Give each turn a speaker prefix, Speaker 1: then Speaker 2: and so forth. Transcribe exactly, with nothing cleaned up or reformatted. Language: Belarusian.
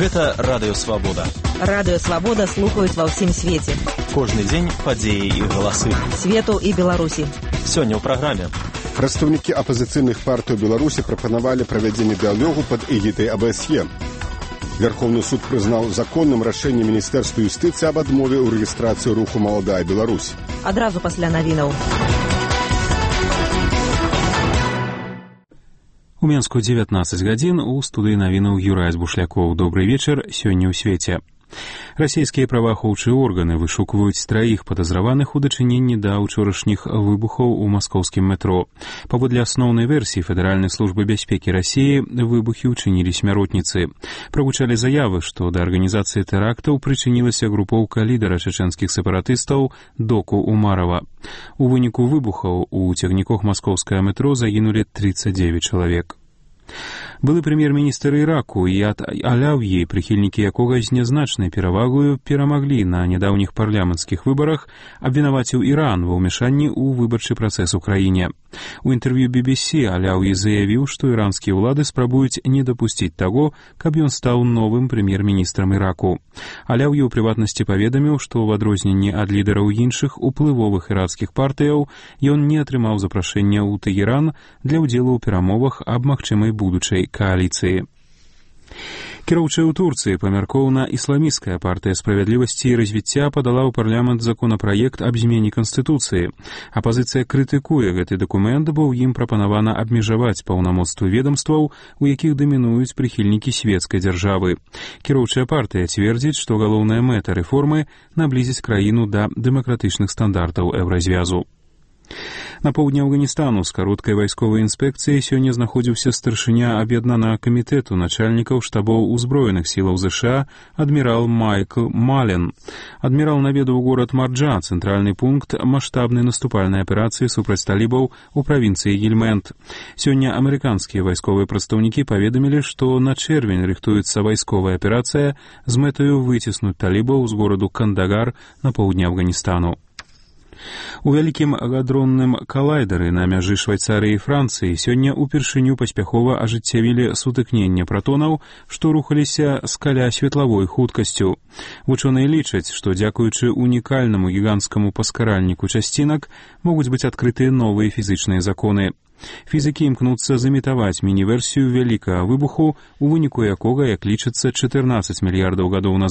Speaker 1: Гэта Радыё Свабода.
Speaker 2: Радыё Свабода слухаюць ва ўсім свеце.
Speaker 1: Кожны дзень падзеі і галасы.
Speaker 2: Свету і Беларусі.
Speaker 1: Сёння ў праграме.
Speaker 3: Прадстаўнікі апазіцыйных партый Беларусі прапанавалі правядзенне дыялогу пад эгідай А Б С Е. Верховны суд прызнаў законным рашэнне Міністэрства юстыцыі аб адмове ў рэгістрацыі руху «Маладая Беларусь».
Speaker 2: Адразу пасля навінаў.
Speaker 4: У Менску дзевятнаццаць гадзін, у студыі навінаў Юрай Бушлякоў. Добрый вечар, сёння ў свеце. Расійскія праваахоўчыя органы вышукваюць траіх падазраваных у дачыненні да ўчорашніх выбухаў у маскоўскім метро. Паводле асноўнай версіі Федэральнай службы бяспекі Расіі, выбухі ўчынілі смяротніцы. Прагучалі заявы, што да арганізацыі тэрактаў прычынілася групоўка лідара чачэнскіх сепаратыстаў Доку Умарова. У выніку выбухаў у цягніках маскоўскае метро загінулі тридцать девять чалавек. Былы прэм'ер-міністр Іраку Ияд Алаўі, прыхільнікі якога з нязначнай перавагою перамаглі на нядаўніх парламенцкіх выбарах, абвінаваціў Іран ва ўмяшанні ў выбарчы працэс у краіне. У інтэрв'ю Би Би Си Алаўі заявіў, што іранскія ўлады спрабуюць не дапусціць таго, каб ён стаў новым прэм'ер-міністрам Іраку. Алаўі ў прыватнасці паведаміў, што ў адрозненні ад лідараў іншых уплывовых іракскіх партыяў ён не атрымаў запрашэння ў Тэгеран для ўдзелу ў перамовах аб магчымай будучай коаліцыі. Кіроўчая ў Турцыі памяркоўна ісламісцкая партыя справядлівасці і развіцця падала ў парламент законапраект аб змене канстытуцыі. Апазіцыя крытыкуе гэты дакумент, бо ў ім прапанавана абмежаваць паўнамоцтвы ведамстваў, у якіх дамінуюць прыхільнікі свецкай дзяржавы. Кіроўчая партыя цвердзіць, што галоўная мэта рэформы наблізіць краіну да дэмакратычных стандартаў еўразвязу. На поўдні Афганістану з кароткай вайсковай інспекцыяй сёння знаходзіўся старшыня аб'яднанага камітэту начальнікаў штабоў узброеных сілаў ЗША адмірал Майкл Мален. Адмірал наведаў горад Марджа, цэнтральны пункт маштабнай наступальнай аперацыі супраць талібаў у правінцыі Гельмэнд. Сёння амерыканскія вайсковыя прадстаўнікі паведамілі, што на чэрвень рыхтуецца вайсковая аперацыя з мэтаю выціснуць талібаў з гораду Кандагар на поўдні Афганістану. У вялікім гадронным калайдары на мяжы Швайцарыі і Францыі сёння ўпершыню паспяхова ажыццявілі сутыкненне пратонаў, што рухаліся з каля светлавой хуткасцю. Вучоныя лічаць, што дзякуючы унікальнаму гіганцкаму паскаральніку часцінак могуць быць адкрытыя новыя фізычныя законы. Фізікі імкнуцца замітаваць міні-версію вялікага выбуху, у выніку якога, як лічыцца, чатырнаццаць мільярдаў гадоў назад